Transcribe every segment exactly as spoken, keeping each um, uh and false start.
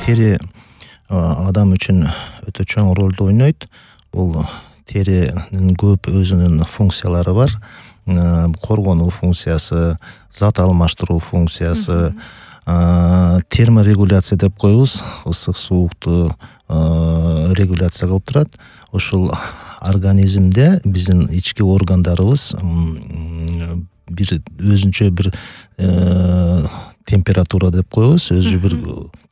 тери адам үчүн өтө чоң ролду ойнойт. Бул теринин көп өзүнүн функциялары бар. Коргонуу функциясы, зат алмаштыруу функциясы, терморегуляция деп коебуз. Ысык суукту регуляция кылып турат. Ушул организмде биздин ички органдарыбыз бир өзүнчө бир температура деп коебуз. Өзү бир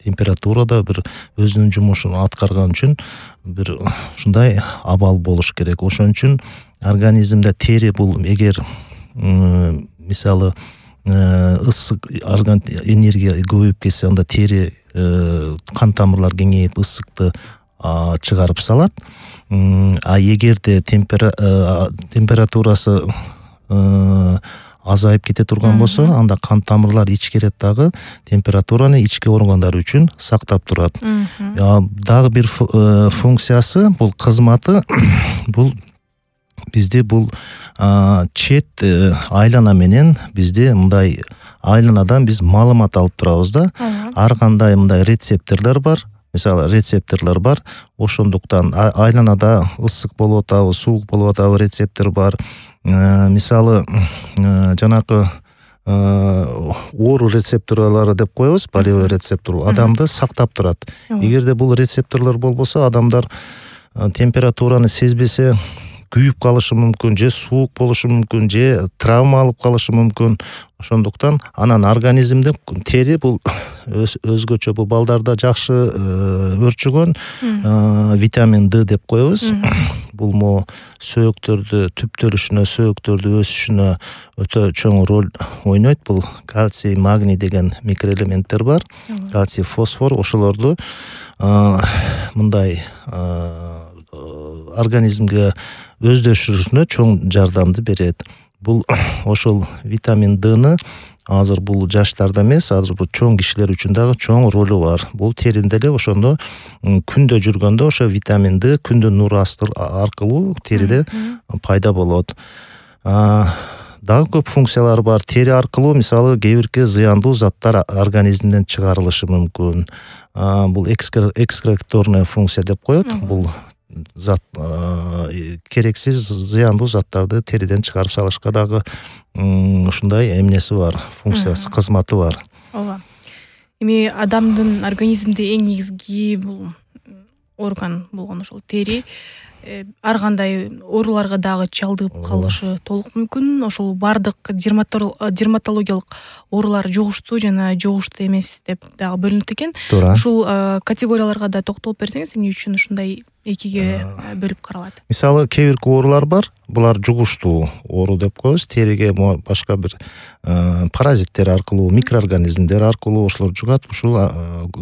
температурада бир өзүнүн жумушун аткарган үчүн бир ушундай абал болуш керек. Ошон үчүн организмде тери бул эгер мисалы ысык энергия көбөйүп кетсе, анда тери кан тамырлар кеңейип ысыкты чыгарып салат. А эгерде температурасы азайып кете турган болсо, анда кан тамырлар ичкерет дагы температураны ички органдар үчүн сактап турат. Дагы бир функциясы, бул кызматы, бул бизде бул чет айлана менен бизде мындай айланадан биз маалымат алып турабыз да. Ар кандай мындай рецепторлор бар. Мисалы рецепторлор бар. Ошондуктан айланада ысык болуп атабы, суук болуп атабы рецептор бар. Мисалы жанакы оору рецепторлору деп коебуз, болевой рецептор адамды сактап турат. Эгерде бул рецепторлор болбосо, адамдар температураны сезбесе күйүп калышы мүмкүн, же суук болушу мүмкүн, же травма алып калышы мүмкүн. Ошондуктан анан организмде тери бул өзгөчө бул балдарда жакшы өрчүгөн витамин Д деп коебуз. Бул мо сөөктөрдү түптөлүшүнө, сөөктөрдү өсүшүнө өтө чоң роль ойнойт. Бул кальций, магний деген микроэлементтер бар. Кальций, фосфор, ошолорду мындай организмге өздөшүрүшүнө чоң жардамды берет. Бул ошол витамин Д'ны азыр бул жаштарда эмес, азыр бул чоң кишилер үчүн дагы чоң ролу бар. Бул теринде эле ошондо күндө жүргөндө ошо витамин Д күндүн нуру аркылуу териде пайда болот. Дагы көп функциялары бар. Тери аркылуу мисалы кээ бирки зыяндуу заттар организмден чыгарылышы мүмкүн. Бул экскреторная функция деп коет. Бул зат керексиз зыяндуу заттарды териден чыгарып салышка дагы ушундай эмнеси бар, функциясы, кызматы бар. Ооба. Эми адамдын организмде эң негизги бул орган болгон ошол тери ар кандай ооруларга дагы чалдыгып калышы толук мүмкүн. Ошол бардык дерматологиялык оорулар жугуштуу жана жугуштуу эмес деп дагы бөлүнөт экен. Ушул категорияларга да токтолуп берсеңиз, эмне үчүн ушундай экиге бөлүп каралат? Мисалы кээ бирки оорулар бар. Булар жугуштуу оору деп коебуз. Териге башка бир паразиттер аркылуу, микроорганизмдер аркылуу ошолор жугат. Ушул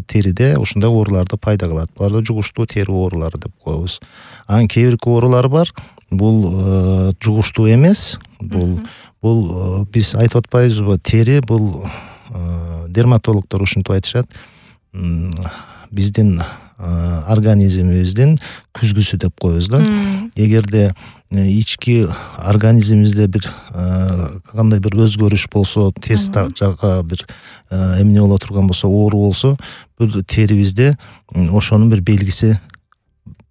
териде ушундай ооруларды пайда кылат. Буларды жугуштуу тери оорулары деп коебуз. Анан кээ бирки оорулар бар. Бул жугуштуу эмес. Бул бул биз айтып атпайбызбы? Тери бул дерматологдор ушинтип айтышат. Биздин организмибиздин күзгүсү деп коебуз да. Эгерде ички организмибизде бир кандай бир өзгөрүш болсо, терс жакка бир эмне боло турган болсо, оору болсо, бул терибизде ошонун бир белгиси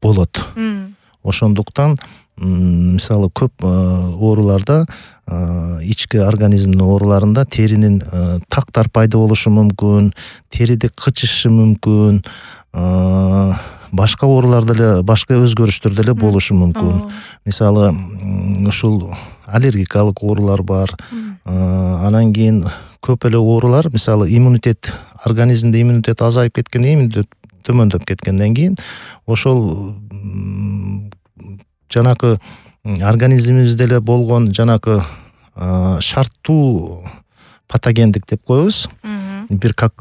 болот. Ошондуктан мисалы көп ооруларда, ички организмдин ооруларында теринин тактар пайда болушу мүмкүн, териде кычышы мүмкүн, башка ооруларда эле, башка өзгөрүштөр деле болушу мүмкүн. Мисалы ушул аллергикалык оорулар бар. Анан кийин көп эле оорулар, мисалы иммунитет, организмде иммунитет азайып кеткенден, иммунитет төмөндөп кеткенден кийин ошол жанакы организмибизде эле болгон жанакы шарттуу патогендик деп коебуз. Бир как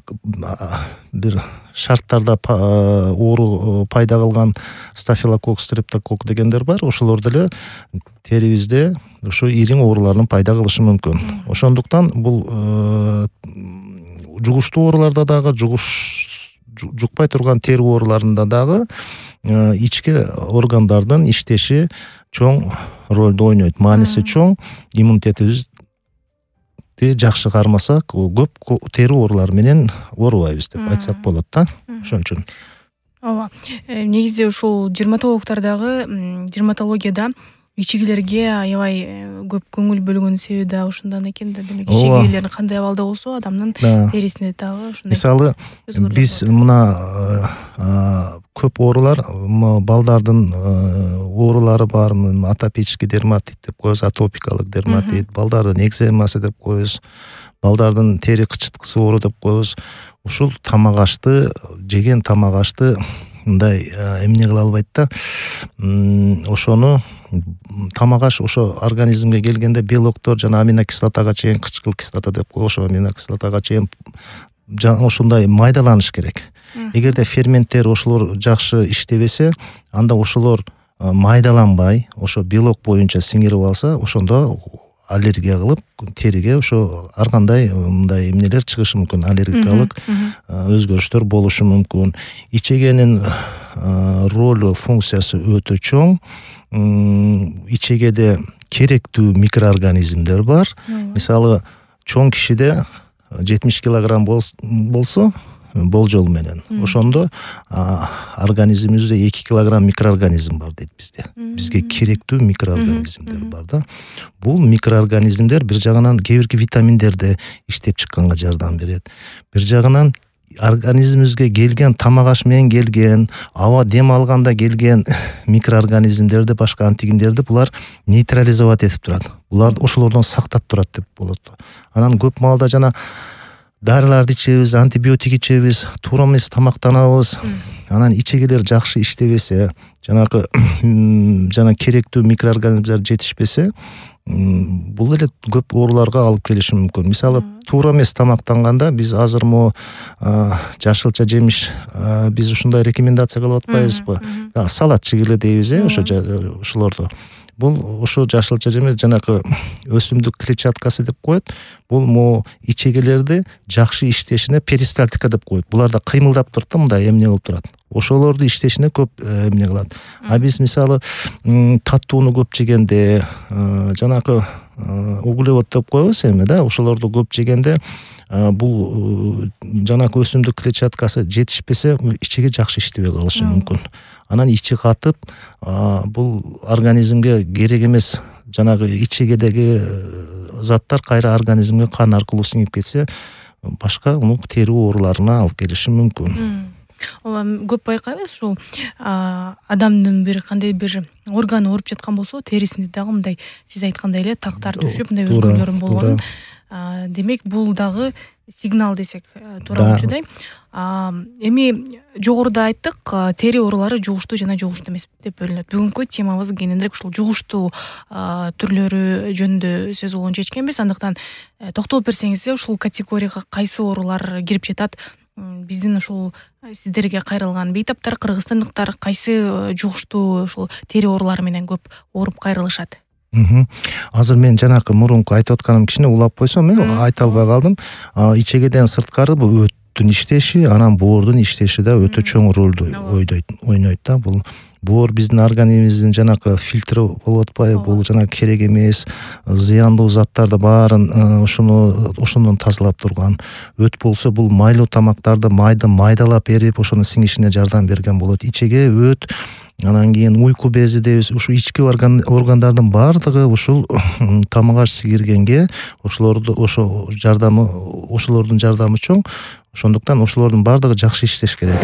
бир шарттарда оору пайда кылган стафилококк, стрептококк дегендер бар. Ошолор деле терибизде ушу ириң оорулардын пайда кылышы мүмкүн. Ошондуктан бул жугуштуу ооруларда дагы, жугуш жукпай турган тери ооруларында дагы ички органдардын иштеши чоң ролду ойнойт. Мааниси чоң. Иммунитетибиз жакшы кармасак көп тери оорулары менен оорубайбыз деп айтсак болот да. Ошон үчүн ооба, негизи ушул дерматологдордагы дерматологияда ичегилерге аябай көп көңүл бөлгөн себеби да ушундан экен да. Демек ичегилер кандай абалда болсо адамдын терисинде дагы ушундай. Мисалы биз мына көп оорулар балдардын оорулары бар, атопический дерматит деп коебуз, атопикалык дерматит, балдардын экземасы деп коебуз, балдардын тери кычыткысы оору деп коебуз. Ушул тамак ашты, жеген тамак ашты мындай эмне кыла албайт да. Ошону тамак аш ошо организмге келгенде белоктор жана аминокислотага чейин, кычкыл кислота деп коебуз, ошо аминокислотага чейин ошондой майдаланыш керек. Эгерде ферменттер ошолор жакшы иштебесе, анда ошолор майдаланбай, ошо белок боюнча сиңирип алса, ошондо аллергия кылып териге ошо ар кандай мындай эмнелер чыгышы мүмкүн, аллергикалык өзгөрүштөр болушу мүмкүн. Ичегенин ролу, функциясы өтө чоң. Ичегеде керектүү микроорганизмдер бар. Мисалы, чоң кишиде жетимиш килограмм болсо, болжол менен, ошондо организмибизде эки килограмм микроорганизм бар дейт бизде. Бизге керектүү микроорганизмдер бар да. Бул микроорганизмдер бир жагынан кээ бирки витаминдерди иштеп чыкканга жардам берет. Бир жагынан организмибизге келген, тамак аш менен келген, аба дем алганда келген микроорганизмдерди, башка антигендерди булар нейтрализовать этип турат. Булар ошолордон сактап турат деп болот. Анан көп маалда жана дарыларды ичебиз, антибиотик ичебиз, туура эмес тамактанабыз. Анан ичегилер жакшы иштебесе, жанагы жана керектүү микроорганизмдер жетишпесе, бул эле көп ооруларга алып келиши мүмкүн. Мисалы, туура эмес тамактанганда биз азыр мо жашылча жемиш биз ушундай рекомендация кылып атпайбызбы? Салат жегиле дейбиз, э, ошо ошолорду. Бул ошо жашылча жемеш жанагы өсүмдүк клетчаткасы деп коет. Бул мо ичегилерди жакшы иштешине перистальтика деп коет. Буларда кыймылдап турат да, мындай эмне болуп турат. Ошолорду иштешине көп эмне кылат. А биз мисалы таттууну көп жегенде, жанагы углевод деп коебуз эми да, ошолорду көп жегенде бул жанагы өсүмдүк клетчаткасы жетишпесе, ичеге жакшы иштебей калышы мүмкүн. Анан ичи катып, бул организмге керек эмес жанагы ичегедеги заттар кайра организмге кан аркылуу сиңип кетсе, башка тери ооруларына алып келиши мүмкүн. Ооба, көп байкайбыз ушул адамдын бир кандай бир органы ооруп жаткан болсо, терисинде дагы мындай сиз айткандай эле тактар түшүп, мындай өзгөрүүлөр болгонун. Демек, бул дагы сигнал десек туура болчудай. Эми жогоруда айттык, тери оорулары жугуштуу жана жугуштуу эмес деп бөлүнөт. Бүгүнкү темабыз кененирээк ушул жугуштуу түрлөрү жөнүндө сөз кылууну чечкенбиз. Андыктан токтолуп берсеңиз, ушул категорияга кайсы оорулар кирип жатат? Биздин ушул сиздерге кайрылган бейтаптар, кыргызстандыктар кайсы жугуштуу ушул тери оорулары менен көп ооруп кайрылышат? Азыр мен жанакы мурунку айтып атканым кичине улап койсом, мен айта албай калдым. Ичегеден сырткары бул өттүн иштеши, анан боордун иштеши да өтө чоң ролду ойнойт да. Бул боор биздин организмибиздин жанакы фильтри болуп атпайбы? Бул жанагы керек эмес, зыяндуу заттарды баарын ошону ошондон тазалап турган. Өт болсо бул майлуу тамактарды майды майдалап эрип, ошонун сиңишине жардам берген болот. Ичеге өт, анан кийин уйку бези дейбиз. Ушул ички органдардын баардыгы ушул тамак аш сиңиргенге ошолорду ошо жардамы ошолордун жардамы чоң. Ошондуктан ошолордун баардыгы жакшы иштеш керек.